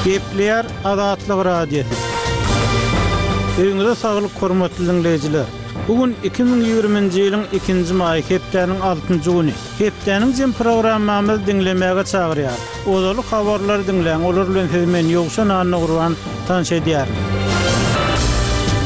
Gepleýär Azatlyk Radiosy. Öýüňize saglyk hormatly diňleýjiler! Bu gün 2020-nji ýylyň ikinji maýy hepdäniň altynjy güni. Hepdäniň jem programmamyzy diňlemäge çagyrýar. Ozaly habarlary diňläň, olar bilen sizi men Ýowşan Annagurban tanyş edýärin.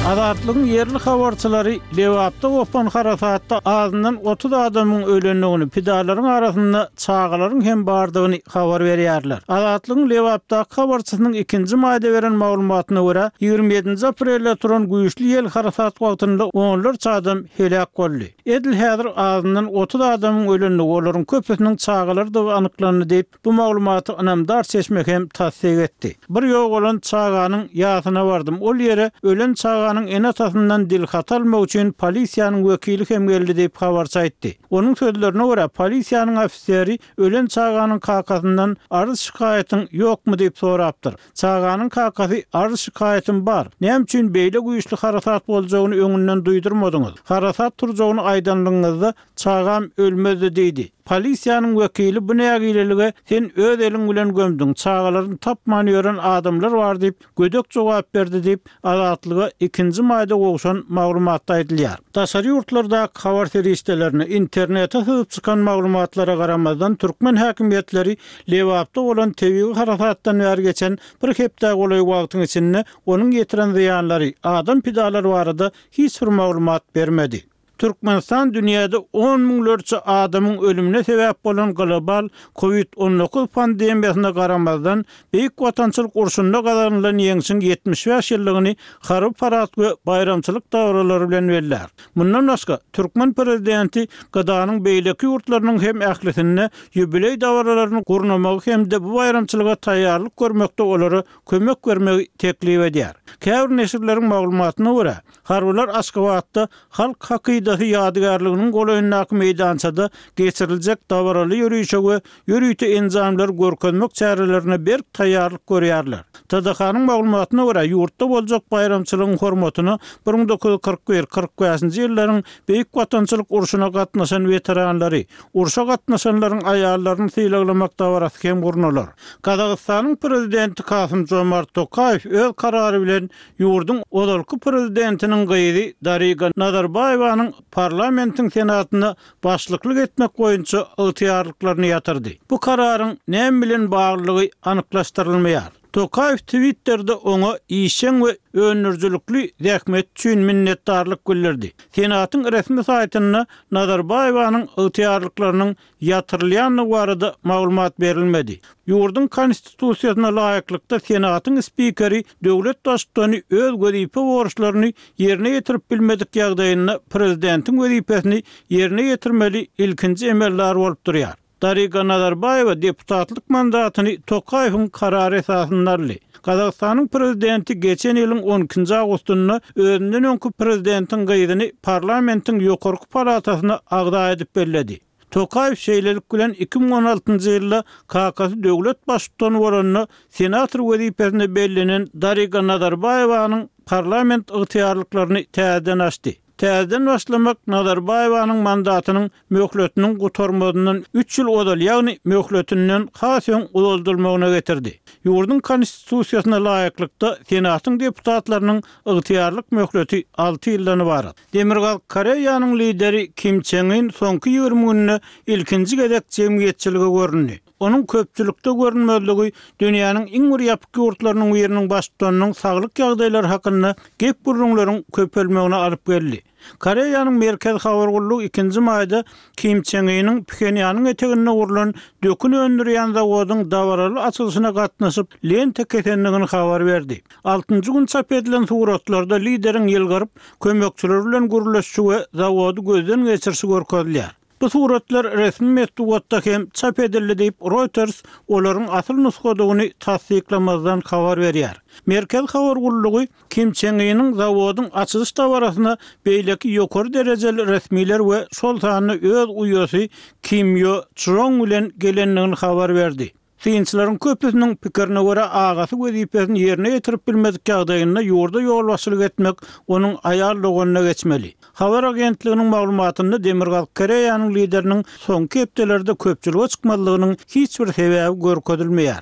Azatlygyň ýerli habarçylary Lebapda gopan harasatda azyndan 30 adamyň ölendigini, pidalaryň arasynda çagalaryň hem bardygyny habar berýärler. Azatlygyň Lebapdaky habarçysynyň ikinji maýda beren maglumatyna görä, 27-nji aprelde turan güýçli ýel harasat wagtynda onlarça adam heläk boldy. Edil häzir azyndan 30 adamyň ölendigi, olaryň köpüsiniň çagalardygy anyklandy diýip, bu maglumaty ynamdar çeşme hem tassyk etdi. Bir ýogalan çaganyň ýasyna bardym. Ol ýere ölen çaganyň ene-atasyndan dilhaty almak üçin polisiýanyň wekili hem geldi diýip, habarçy aýtdy. Onuň sözlerine görä, polisiýanyň ofiseri ölen çaganyň kakasyndan arz-şikaýatyň ýokmy diýip sorapdyr. Çaganyň kakasy arz-şikaýatym bar. Näme üçin beýle güýçli harasat boljagyny öňünden duýdurmadyňyz? Harasat turjagyny aýdanlygyňyzda çagam ölmezdi diýdi. Polisiýanyň wekili bu nägilelige sen öz eliň bilen gömdüň, çagalaryny tapman ýören adamlar bar diýip, gödek jogap berdi diýip, Azatlyga ikinji maýda gowşan maglumatda aýdylýar. Daşary ýurtlardaky habar serişdelerine, internete syzyp çykan maglumatlara garamazdan, türkmen häkimiýetleri Lebapda bolan tebigy harasatdan bäri geçen bir hepdä golaý wagtyň içinde onuň ýetiren zyýanlary, adam pidalary barada hiç bir maglumat bermedi. Türkmenistan dünýäde on müňlerçe adamyň ölümine sebäp bolan global Covid 19 pandemiýasyna garamazdan, Beýik Watançylyk urşunda gazanylan ýeňşiň 75 ýyllygyny harby parad we baýramçylyk dabaralary bilen bellär. Mundan başga, türkmen prezidenti GDA-nyň beýleki ýurtlarynyň hem ählisinde ýubileý dabaralaryny gurnamagy hem-de bu baýramçylyga taýýarlyk görmekde olara kömek bermegi teklip edýär. Käbir neşirleriň maglumatyna görä, Harbylar Aşgabatda Halk hakydasy ýadygärliginiň golaýyndaky meýdançada geçiriljek dabaraly ýörişe we ýörite enjamlary görkezmek çärelerine berk taýýarlyk görýärler. TDH-nyň maglumatyna görä, ýurtda boljak baýramçylygyň hormatyna 1941, 45-nji ýyllaryň Beýik Watançylyk urşuna gatnaşan weteranlary, urşa gatnaşanlaryň aýallaryny sylaglamak dabarasy hem gurnalar. Gazagystanyň Prezidenti Kasym-Jomart Tokaýew öz karary bilen Ýurduň ozalky prezidentiniň gyzy Dariga Nazarbaýewanyň parlamentiň Senatynda başlyklyk etmek boýunça ygtyýarlyklaryny ýatyrdy. Bu kararyň näme bilen baglylygy anyklaşdyrylmaýar. Tokaýew Twitterde oňa işjeň we öndürijilikli zähmeti üçin minnetdarlyk bildirdi. Senatyň resmi saýtynda Nazarbaýewanyň ygtyýarlyklarynyň ýatyrylýandygy barada maglumat berilmedi. Ýurduň Konstitusiýasyna laýyklykda Senatyň spikeri döwlet Baştutany öz wezipe borçlaryny ýerine ýetirip bilmedik ýagdaýynda prezidentiň wezipesini ýerine ýetirmeli ilkinji emeldar bolup durýar. Dariga Nazarbaýewa deputatlyk mandatyny Tokaýewiň karary esasynda aldy. Gazagystanyň prezidenti geçen ýylyň on ikinji awgustynda özünden öňki prezidentiň gyzyny parlamentiň ýokarky palatasyna agza edip belledi. Tokaýew şeýlelik bilen 2016-njy ýylda kakasy döwlet baştutany bolanda senator wezipesine bellenen Dariga Nazarbaýewanyň parlament ygtyýarlyklaryny täzeden açdy. Täzeden başlamak Nazarbaýewanyň mandatynyň möhletiniň gutarmazyndan üç ýyl ozal, ýagny möhletinden has öň uzaldylmagyna getirdi. Ýurduň Konstitusiýasyna laýyklykda, Senatyň deputatlarynyň ygtyýarlyk möhleti alty ýyldan ybarat. Demirgazyk Koreýanyň lideri Kim Çen Yn soňky 20 günde ilkinji gezek jemgyýetçilige göründi. Onuň köpçülikde görünmezligi dünýäniň iň bir ýapyk ýurtlarynyň biriniň baştutanynyň saglyk ýagdaýlary hakynda gep-gürrüňleriň köpelmegine alyp geldi. Koreýanyň Merkezi habar gullugy ikinji maýda Kim Çen Ynyň Phenýanyň eteginde gurlan dökün öndürýän zawodyň dabaraly açylyşyna gatnaşyp, lenta kesendigini habar berdi. Altynjy gün çap edilen suratlarda lideriň ýylgyryp, kömekçileri bilen gürleşişi we zawody gözden geçirişi görkezilýär. Bu suratlar resmi metbugatda hem çap edildi diýip, Reuters olaryň asyl nusgadygyny tassyklamazdan habar berýär. Merkezi habar gullugy Kim Çen Ynyň zawodyň açylyş dabarasyna beýleki ýokary derejeli resmiler we şol sanda öz uýasy Kim Ýo Çžong bilen gelendigini habar berdi. Synçylaryň köpüsiniň pikirine görä, agasy wezipesini ýerine ýetirip bilmedik ýagdaýynda ýurda ýolbaşçylyk etmek onuň aýal doganyna geçmeli. Habar agentliginiň maglumatynda Demirgazyk Koreýanyň lideriniň soňky hepdelerde köpçülige çykmazlygynyň hiç bir sebäbi görkezilmeýär.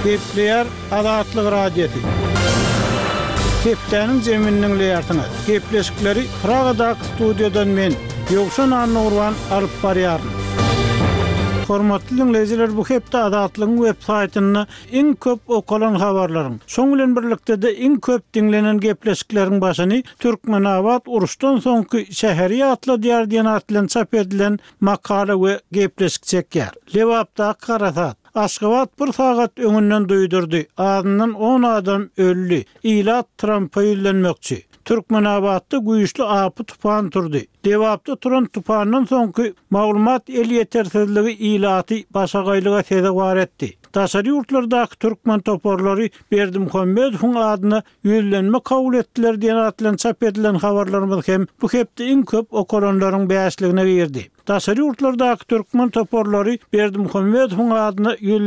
Gepleýär Azatlyk Radiosy. Hepdäniň jemini diňleýärsiňiz. Gepleşikleri Pragadaky studiýadan men, Ýowşan Annagurban alyp barýaryn. Hormatly diňleýjiler, bu hepde Azatlygyň web saýtynda iň köp okalan habarlaryň, şoň bilen birlikde-de iň köp diňlenen gepleşikleriň başyny Türkmenabat uruşdan soňky şäheri ýatladýar diýen at bilen çap edilen makala we gepleşik çekýär. Lebapdaky harasat. Aşgabat bir sagat öňünden duýdurdy, azyndan on adam öldi, ilat Trampa ýüzlenmekçi. Türkmenabatda güýçli apy-tupan turdy. Lebapda turan tupandan soňky maglumat elýetersizligi ilaty başagaýlyga sezewar etdi. Daşary ýurtlardaky türkmen toparlary Berdimuhamedowyň adyna ýüzlenme kabul etdiler diýen at bilen çap edilen habarlarymyz hem bu hepde iň köp okalanlaryň bäşligine girdi. Daşary ýurtlardaky türkmen toparlary Berdimuhamedowyň adyna ýüzlenme.